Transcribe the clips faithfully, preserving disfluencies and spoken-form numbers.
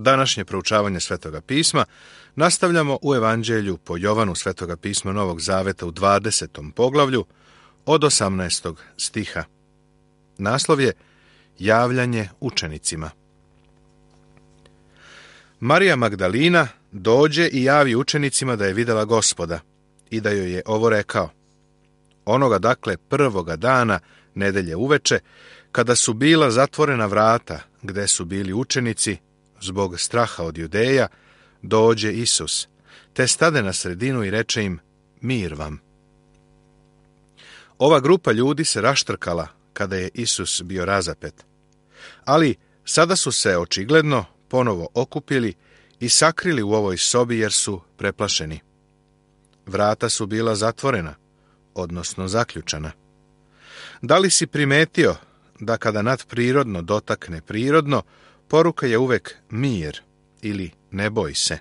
Današnje proučavanje Svetoga pisma nastavljamo u Evanđelju po Jovanu Svetoga pisma Novog Zaveta u dvadesetom poglavlju od osamnaestog stiha. Naslov je Javljanje učenicima. Marija Magdalina dođe i javi učenicima da je vidjela Gospoda i da joj je ovo rekao. Onoga dakle prvoga dana nedelje uveče, kada su bila zatvorena vrata gde su bili učenici, zbog straha od Judeja, dođe Isus, te stade na sredinu i reče im, mir vam. Ova grupa ljudi se raštrkala kada je Isus bio razapet. Ali sada su se očigledno ponovo okupili i sakrili u ovoj sobi jer su preplašeni. Vrata su bila zatvorena, odnosno zaključana. Da li si primetio da kada nadprirodno dotakne prirodno, poruka je uvek mir ili ne boj se?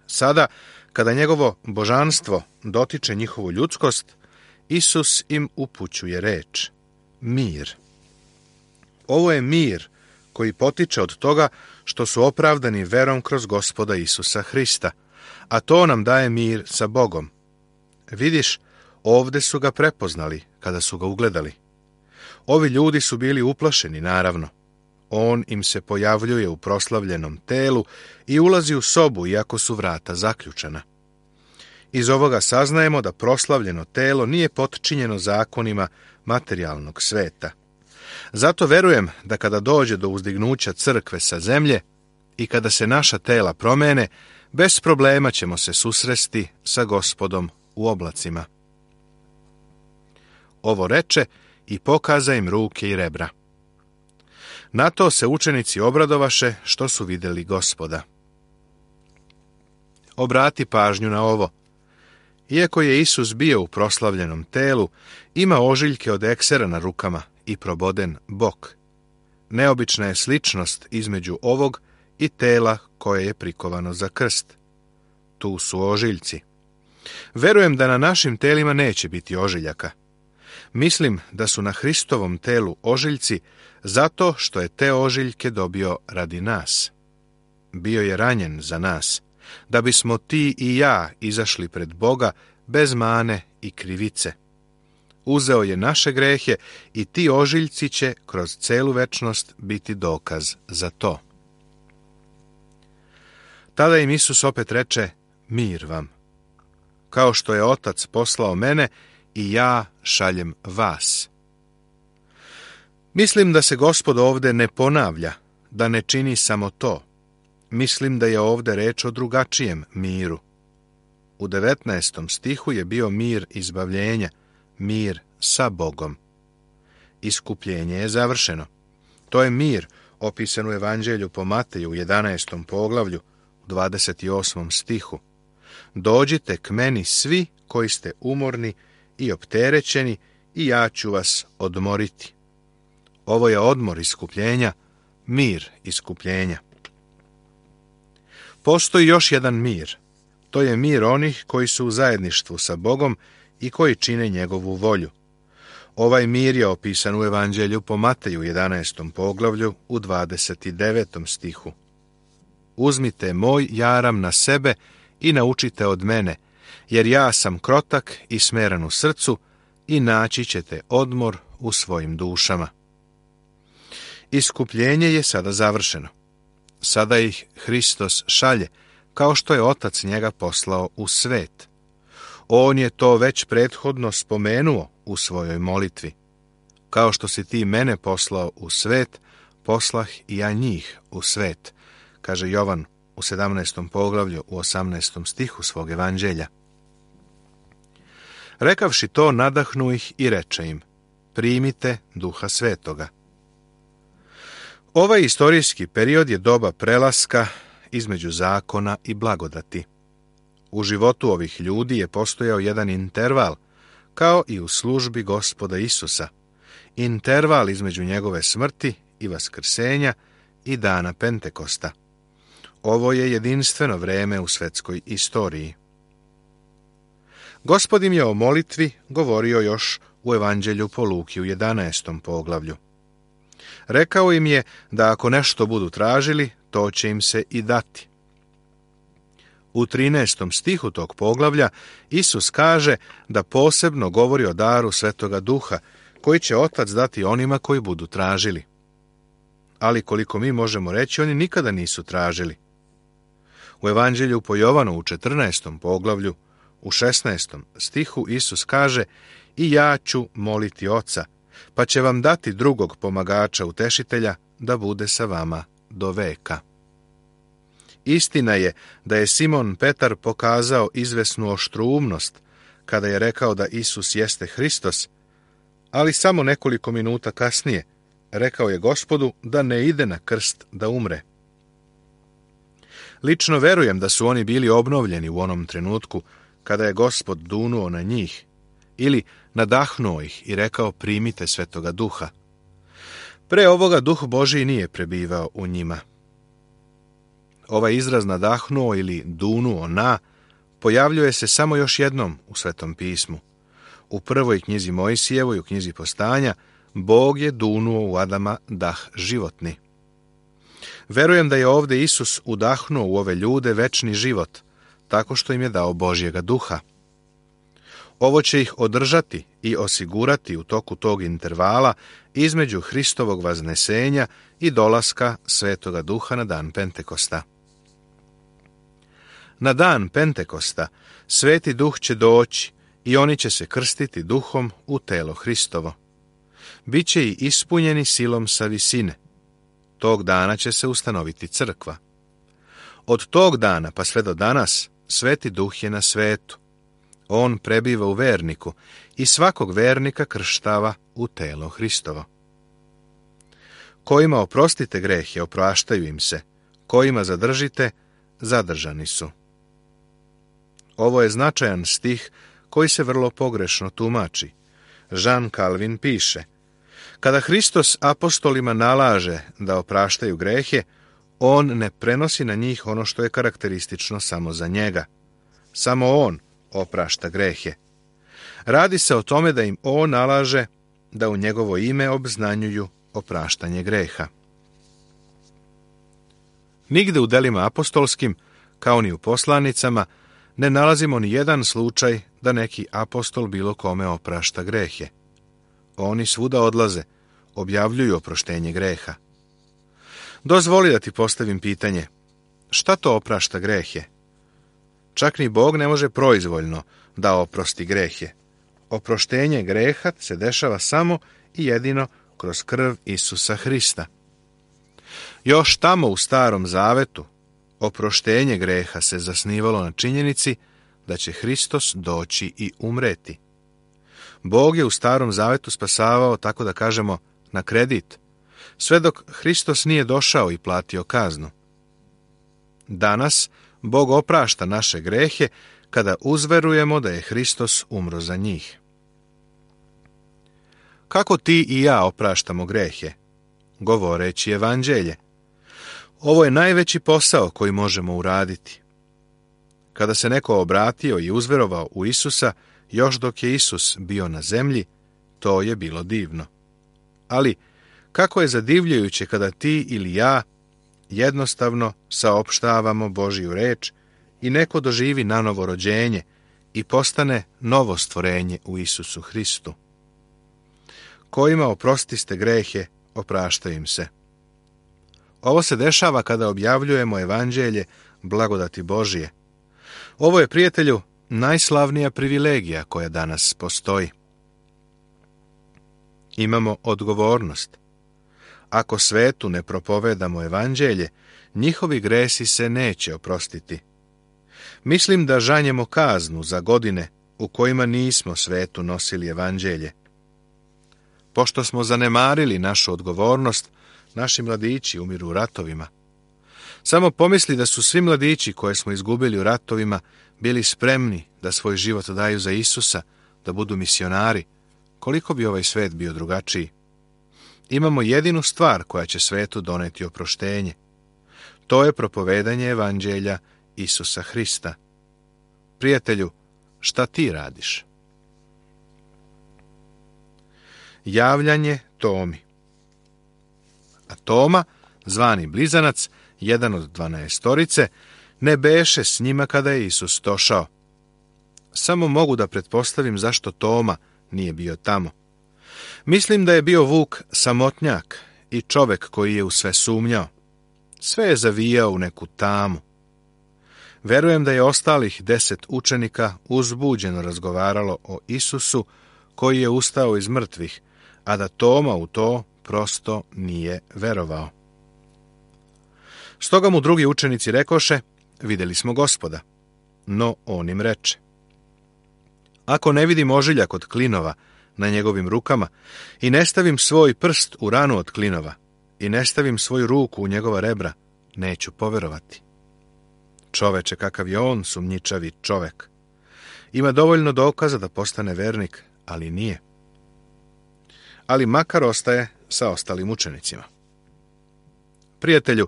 Sada, kada njegovo božanstvo dotiče njihovu ljudskost, Isus im upućuje reč, mir. Ovo je mir koji potiče od toga što su opravdani verom kroz Gospoda Isusa Hrista, a to nam daje mir sa Bogom. Vidiš, ovde su ga prepoznali kada su ga ugledali. Ovi ljudi su bili uplašeni, naravno. On im se pojavljuje u proslavljenom telu i ulazi u sobu, iako su vrata zaključana. Iz ovoga saznajemo da proslavljeno telo nije potčinjeno zakonima materijalnog sveta. Zato verujem da kada dođe do uzdignuća crkve sa zemlje i kada se naša tela promene, bez problema ćemo se susresti sa Gospodom u oblacima. Ovo reče i pokaza im ruke i rebra. Na to se učenici obradovaše što su vidjeli Gospoda. Obrati pažnju na ovo. Iako je Isus bio u proslavljenom telu, ima ožiljke od eksera na rukama i proboden bok. Neobična je sličnost između ovog i tela koje je prikovano za krst. Tu su ožiljci. Verujem da na našim telima neće biti ožiljaka. Mislim da su na Hristovom telu ožiljci zato što je te ožiljke dobio radi nas. Bio je ranjen za nas, da bismo ti i ja izašli pred Boga bez mane i krivice. Uzeo je naše grehe i ti ožiljci će kroz celu večnost biti dokaz za to. Tada im Isus opet reče, mir vam. Kao što je Otac poslao mene, i ja šaljem vas. Mislim da se Gospod ovde ne ponavlja, da ne čini samo to. Mislim da je ovde reč o drugačijem miru. U devetnaestom stihu je bio mir izbavljenja, mir sa Bogom. Iskupljenje je završeno. To je mir opisan u Evanđelju po Mateju u jedanaestom poglavlju, u dvadeset osmom stihu. Dođite k meni svi koji ste umorni i opterećeni i ja ću vas odmoriti. Ovo je odmor iskupljenja, mir iskupljenja. Postoji još jedan mir. To je mir onih koji su u zajedništvu sa Bogom i koji čine njegovu volju. Ovaj mir je opisan u Evanđelju po Mateju u jedanaestom poglavlju u dvadeset devetom stihu. Uzmite moj jaram na sebe i naučite od mene, jer ja sam krotak i smeran u srcu i naći ćete odmor u svojim dušama. Iskupljenje je sada završeno. Sada ih Hristos šalje, kao što je Otac njega poslao u svet. On je to već prethodno spomenuo u svojoj molitvi. Kao što si ti mene poslao u svet, poslah i ja njih u svet, kaže Jovan u sedamnaestom poglavlju u osamnaestom stihu svog evanđelja. Rekavši to, nadahnu ih i reče im, primite Duha Svetoga. Ovaj istorijski period je doba prelaska između zakona i blagodati. U životu ovih ljudi je postojao jedan interval, kao i u službi Gospoda Isusa, interval između njegove smrti i vaskrsenja i dana Pentekosta. Ovo je jedinstveno vreme u svetskoj istoriji. Gospod im je o molitvi govorio još u Evanđelju po Luki u jedanaestom poglavlju. Rekao im je da ako nešto budu tražili, to će im se i dati. U trinaestom stihu tog poglavlja Isus kaže da posebno govori o daru Svetoga Duha, koji će Otac dati onima koji budu tražili. Ali koliko mi možemo reći, oni nikada nisu tražili. U Evanđelju po Jovanu u četrnaestom poglavlju, u šesnaestom stihu Isus kaže: i ja ću moliti Oca, pa će vam dati drugog pomagača, utešitelja, da bude sa vama do veka. Istina je da je Simon Petar pokazao izvesnu oštroumnost kada je rekao da Isus jeste Hristos, ali samo nekoliko minuta kasnije rekao je Gospodu da ne ide na krst da umre. Lično verujem da su oni bili obnovljeni u onom trenutku kada je Gospod dunuo na njih ili nadahnuo ih i rekao: primite Svetoga Duha. Pre ovoga Duh Božji nije prebivao u njima. Ovaj izraz nadahnuo ili dunuo na pojavljuje se samo još jednom u Svetom pismu. U prvoj knjizi Mojsijevoj, u knjizi Postanja, Bog je dunuo u Adama dah životni. Verujem da je ovdje Isus udahnuo u ove ljude večni život, tako što im je dao Božjega Duha. Ovo će ih održati i osigurati u toku tog intervala između Hristovog vaznesenja i dolaska Svetoga Duha na dan Pentekosta. Na dan Pentekosta Sveti Duh će doći i oni će se krstiti Duhom u telo Hristovo. Biće i ispunjeni silom sa visine. Tog dana će se ustanoviti crkva. Od tog dana pa sve do danas Sveti Duh je na svetu. On prebiva u verniku i svakog vernika krštava u telo Hristovo. Kojima oprostite grehe, opraštaju im se. Kojima zadržite, zadržani su. Ovo je značajan stih koji se vrlo pogrešno tumači. Jean Calvin piše: kada Hristos apostolima nalaže da opraštaju grehe, on ne prenosi na njih ono što je karakteristično samo za njega. Samo on oprašta grehe. Radi se o tome da im on nalaže da u njegovo ime obznanjuju opraštanje greha. Nigde u delima apostolskim, kao ni u poslanicama, ne nalazimo ni jedan slučaj da neki apostol bilo kome oprašta grehe. Oni svuda odlaze, objavljuju oproštenje greha. Dozvoli da ti postavim pitanje: šta to oprašta grehe? Čak ni Bog ne može proizvoljno da oprosti grehe. Oproštenje greha se dešava samo i jedino kroz krv Isusa Hrista. Još tamo u Starom Zavetu oproštenje greha se zasnivalo na činjenici da će Hristos doći i umreti. Bog je u Starom Zavetu spasavao, tako da kažemo, na kredit, sve dok Hristos nije došao i platio kaznu. Danas Bog oprašta naše grehe kada uzverujemo da je Hristos umro za njih. Kako ti i ja opraštamo grehe? Govoreći evanđelje. Ovo je najveći posao koji možemo uraditi. Kada se neko obratio i uzverovao u Isusa, još dok je Isus bio na zemlji, to je bilo divno. Ali kako je zadivljujuće kada ti ili ja jednostavno saopštavamo Božju reč i neko doživi nanovo rođenje i postane novo stvorenje u Isusu Hristu. Kojima oprostiste grehe, opraštaju im se. Ovo se dešava kada objavljujemo evanđelje blagodati Božije. Ovo je, prijatelju, najslavnija privilegija koja danas postoji. Imamo odgovornost. Ako svetu ne propovedamo evanđelje, njihovi gresi se neće oprostiti. Mislim da žanjemo kaznu za godine u kojima nismo svetu nosili evanđelje. Pošto smo zanemarili našu odgovornost, naši mladići umiru u ratovima. Samo pomisli da su svi mladići koje smo izgubili u ratovima bili spremni da svoj život daju za Isusa, da budu misionari, koliko bi ovaj svet bio drugačiji. Imamo jedinu stvar koja će svetu doneti oproštenje. To je propovedanje evanđelja Isusa Hrista. Prijatelju, šta ti radiš? Javljanje Tomi. A Toma, zvani Blizanac, jedan od dvanaestorice, ne beše s njima kada je Isus došao. Samo mogu da pretpostavim zašto Toma nije bio tamo. Mislim da je bio Vuk samotnjak i čovek koji je u sve sumnjao. Sve je zavijao u neku tamu. Verujem da je ostalih deset učenika uzbuđeno razgovaralo o Isusu koji je ustao iz mrtvih, a da Toma u to prosto nije verovao. Stoga mu drugi učenici rekoše, vidjeli smo Gospoda. No on im reče, ako ne vidim ožiljak od klinova na njegovim rukama i ne stavim svoj prst u ranu od klinova i ne stavim svoju ruku u njegova rebra, neću poverovati. Čoveče, kakav je on sumnjičavi čovek. Ima dovoljno dokaza da postane vernik, ali nije. Ali makar ostaje sa ostalim učenicima. Prijatelju,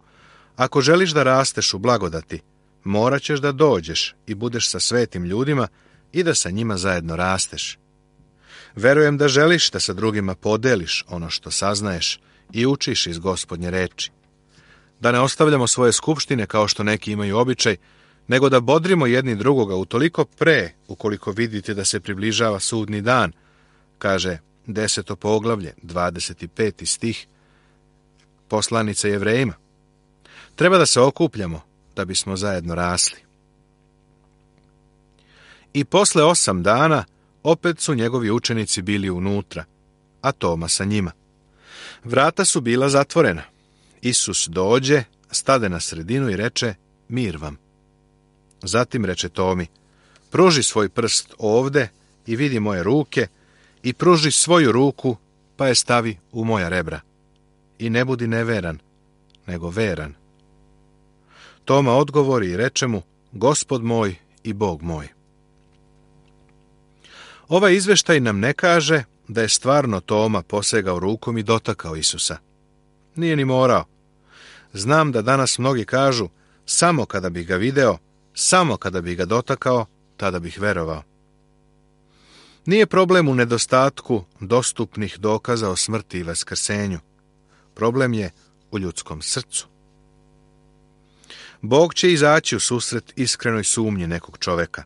ako želiš da rasteš u blagodati, morat ćeš da dođeš i budeš sa svetim ljudima i da sa njima zajedno rasteš. Verujem da želiš da sa drugima podeliš ono što saznaješ i učiš iz Gospodnje reči. Da ne ostavljamo svoje skupštine kao što neki imaju običaj, nego da bodrimo jedni drugoga utoliko pre, ukoliko vidite da se približava sudni dan, kaže deseto poglavlje, dvadeset peti stih, poslanica Jevrejima. Treba da se okupljamo da bismo zajedno rasli. I posle osam dana opet su njegovi učenici bili unutra, a Toma sa njima. Vrata su bila zatvorena. Isus dođe, stade na sredinu i reče, mir vam. Zatim reče Tomi, pruži svoj prst ovde i vidi moje ruke i pruži svoju ruku pa je stavi u moja rebra. I ne budi neveran, nego veran. Toma odgovori i reče mu, Gospod moj i Bog moj. Ovaj izveštaj nam ne kaže da je stvarno Toma posegao rukom i dotakao Isusa. Nije ni morao. Znam da danas mnogi kažu, samo kada bih ga video, samo kada bih ga dotakao, tada bih verovao. Nije problem u nedostatku dostupnih dokaza o smrti i vaskrsenju. Problem je u ljudskom srcu. Bog će izaći u susret iskrenoj sumnji nekog čoveka.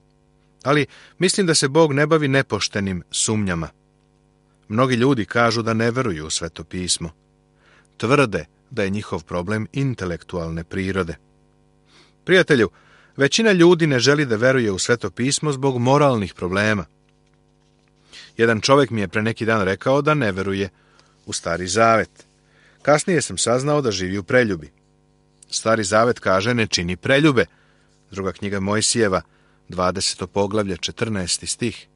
Ali mislim da se Bog ne bavi nepoštenim sumnjama. Mnogi ljudi kažu da ne veruju u Sveto pismo. Tvrde da je njihov problem intelektualne prirode. Prijatelju, većina ljudi ne želi da veruje u Sveto pismo zbog moralnih problema. Jedan čovjek mi je pre neki dan rekao da ne veruje u Stari Zavet. Kasnije sam saznao da živi u preljubi. Stari Zavet kaže ne čini preljube. Druga knjiga Mojsijeva, dvadeseto poglavlje, četrnaesti stih.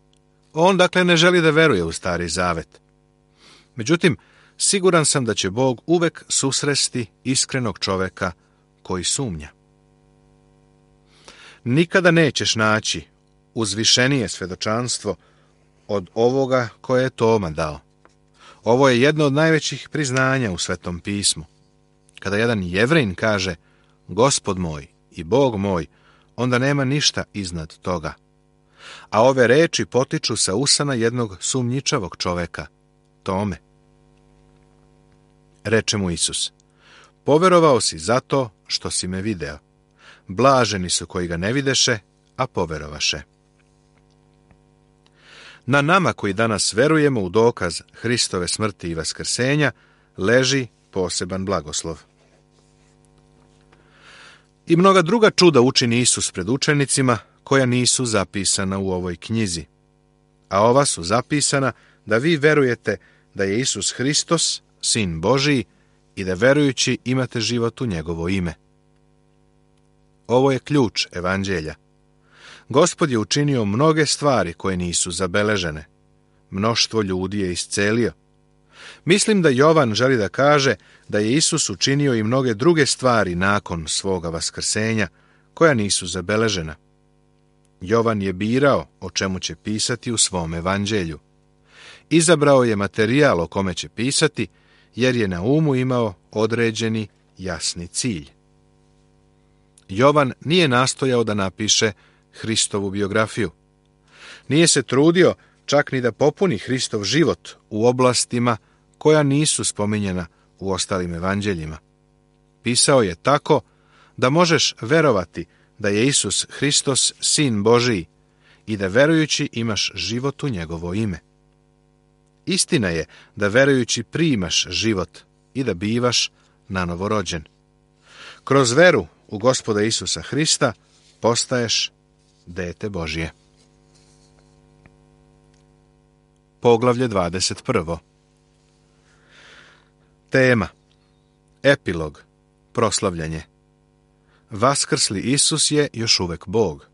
On dakle ne želi da veruje u Stari Zavet. Međutim, siguran sam da će Bog uvek susresti iskrenog čoveka koji sumnja. Nikada nećeš naći uzvišenije svedočanstvo od ovoga koje je Toma dao. Ovo je jedno od najvećih priznanja u Svetom pismu. Kada jedan Jevrejin kaže Gospod moj i Bog moj, onda nema ništa iznad toga. A ove reči potiču sa usana jednog sumnjičavog čoveka, Tome. Reče mu Isus, poverovao si zato što si me video. Blaženi su koji ga ne videše, a poverovaše. Na nama koji danas verujemo u dokaz Hristove smrti i vaskrsenja, leži poseban blagoslov. I mnoga druga čuda učini Isus pred učenicima, koja nisu zapisana u ovoj knjizi. A ova su zapisana da vi verujete da je Isus Hristos, Sin Božiji, i da verujući imate život u njegovo ime. Ovo je ključ evanđelja. Gospod je učinio mnoge stvari koje nisu zabeležene. Mnoštvo ljudi je iscelio. Mislim da Jovan želi da kaže da je Isus učinio i mnoge druge stvari nakon svoga vaskrsenja, koja nisu zabeležena. Jovan je birao o čemu će pisati u svom evanđelju. Izabrao je materijal o kome će pisati, jer je na umu imao određeni jasni cilj. Jovan nije nastojao da napiše Hristovu biografiju. Nije se trudio čak ni da popuni Hristov život u oblastima koja nisu spominjena u ostalim evanđeljima. Pisao je tako da možeš verovati da je Isus Hristos Sin Božiji i da verujući imaš život u njegovo ime. Istina je da verujući primaš život i da bivaš nanovo rođen. Kroz veru u Gospoda Isusa Hrista postaješ dete Božje. Poglavlje dvadeset prvo. Tema. Epilog. Proslavljanje. Vaskrsli Isus je još uvek Bog.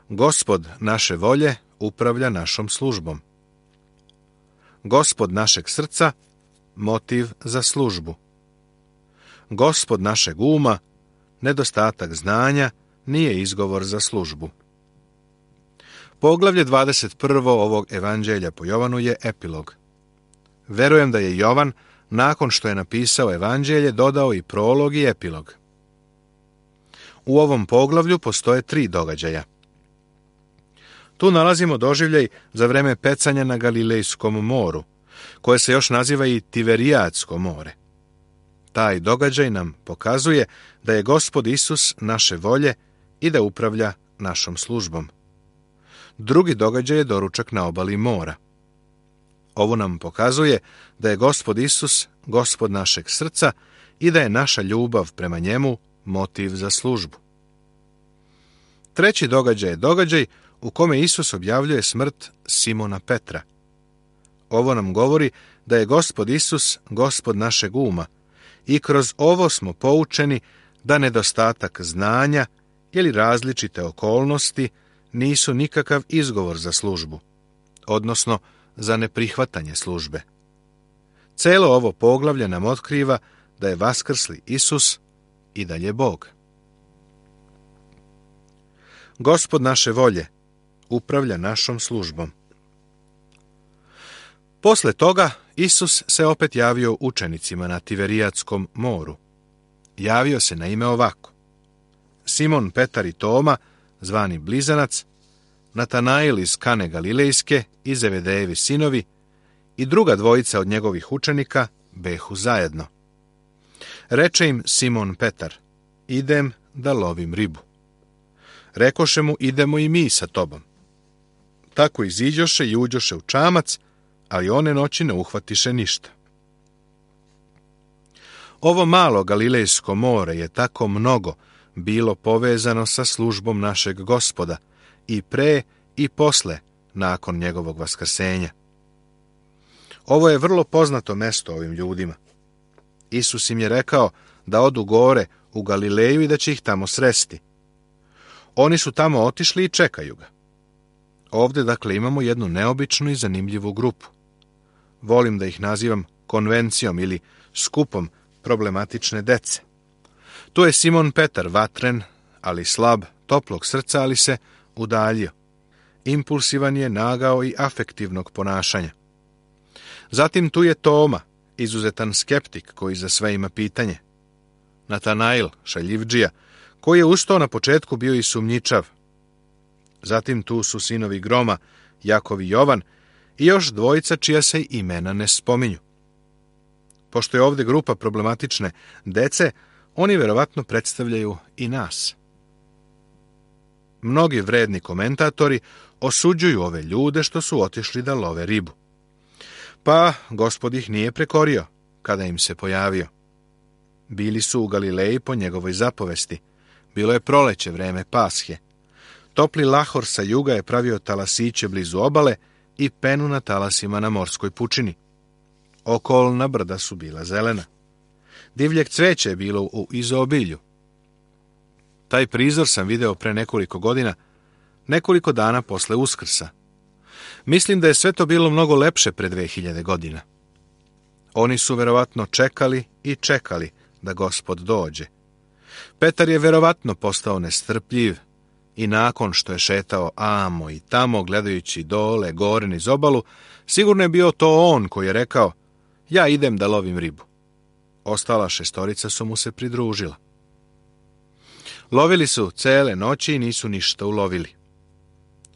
Gospod naše volje upravlja našom službom. Gospod našeg srca motiv za službu. Gospod našeg uma, nedostatak znanja, nije izgovor za službu. Poglavlje dvadeset prvo ovog evanđelja po Jovanu je epilog. Verujem da je Jovan, nakon što je napisao evanđelje, dodao i prolog i epilog. U ovom poglavlju postoje tri događaja. Tu nalazimo doživljaj za vreme pecanja na Galilejskom moru, koje se još naziva i Tiberijadsko more. Taj događaj nam pokazuje da je Gospod Isus naše volje i da upravlja našom službom. Drugi događaj je doručak na obali mora. Ovo nam pokazuje da je Gospod Isus Gospod našeg srca i da je naša ljubav prema njemu motiv za službu. Treći događaj je događaj u kome Isus objavljuje smrt Simona Petra. Ovo nam govori da je Gospod Isus Gospod našeg uma i kroz ovo smo poučeni da nedostatak znanja ili različite okolnosti nisu nikakav izgovor za službu, odnosno za neprihvatanje službe. Celo ovo poglavlje nam otkriva da je vaskrsli Isus i dalje Bog. Gospod naše volje upravlja našom službom. Posle toga Isus se opet javio učenicima na Tiverijadskom moru. Javio se na ime ovako: Simon Petar i Toma, zvani Blizanac, Natanail iz Kane Galilejske i Zebedejevi sinovi i druga dvojica od njegovih učenika behu zajedno. Reče im Simon Petar: idem da lovim ribu. Rekoše mu: idemo i mi sa tobom. Tako iziđoše i uđoše u čamac, ali one noći ne uhvatiše ništa. Ovo malo Galilejsko more je tako mnogo bilo povezano sa službom našeg Gospoda i pre i posle nakon njegovog vaskrsenja. Ovo je vrlo poznato mesto ovim ljudima. Isus im je rekao da odu gore u Galileju i da će ih tamo sresti. Oni su tamo otišli i čekaju ga. Ovde, dakle, imamo jednu neobičnu i zanimljivu grupu. Volim da ih nazivam konvencijom ili skupom problematične dece. Tu je Simon Petar, vatren, ali slab, toplog srca, ali se udaljio. Impulsivan je, nagao i afektivnog ponašanja. Zatim tu je Toma, izuzetan skeptik koji za sve ima pitanje. Natanail, šaljivdžija, koji je ustao na početku bio i sumnjičav. Zatim tu su sinovi groma, Jakov i Jovan, i još dvojica čija se imena ne spominju. Pošto je ovde grupa problematične dece, oni verovatno predstavljaju i nas. Mnogi vredni komentatori osuđuju ove ljude što su otišli da love ribu. Pa Gospod ih nije prekorio kada im se pojavio. Bili su u Galileji po njegovoj zapovesti. Bilo je proleće, vreme Pashe. Topli lahor sa juga je pravio talasiće blizu obale i penu na talasima na morskoj pučini. Okolna brda su bila zelena. Divljeg cveća je bilo u izobilju. Taj prizor sam video pre nekoliko godina, nekoliko dana posle Uskrsa. Mislim da je sve to bilo mnogo lepše pre dve hiljade godina. Oni su verovatno čekali i čekali da Gospod dođe. Petar je verovatno postao nestrpljiv i nakon što je šetao amo i tamo gledajući dole, gore niz obalu, sigurno je bio to on koji je rekao: ja idem da lovim ribu. Ostala šestorica su mu se pridružila. Lovili su cele noći i nisu ništa ulovili.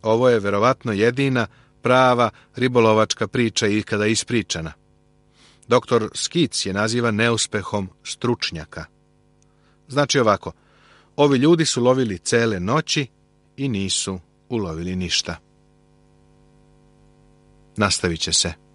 Ovo je verovatno jedina prava ribolovačka priča ikada ispričana. Doktor Skic je naziva neuspehom stručnjaka. Znači ovako, ovi ljudi su lovili cele noći i nisu ulovili ništa. Nastavit će se.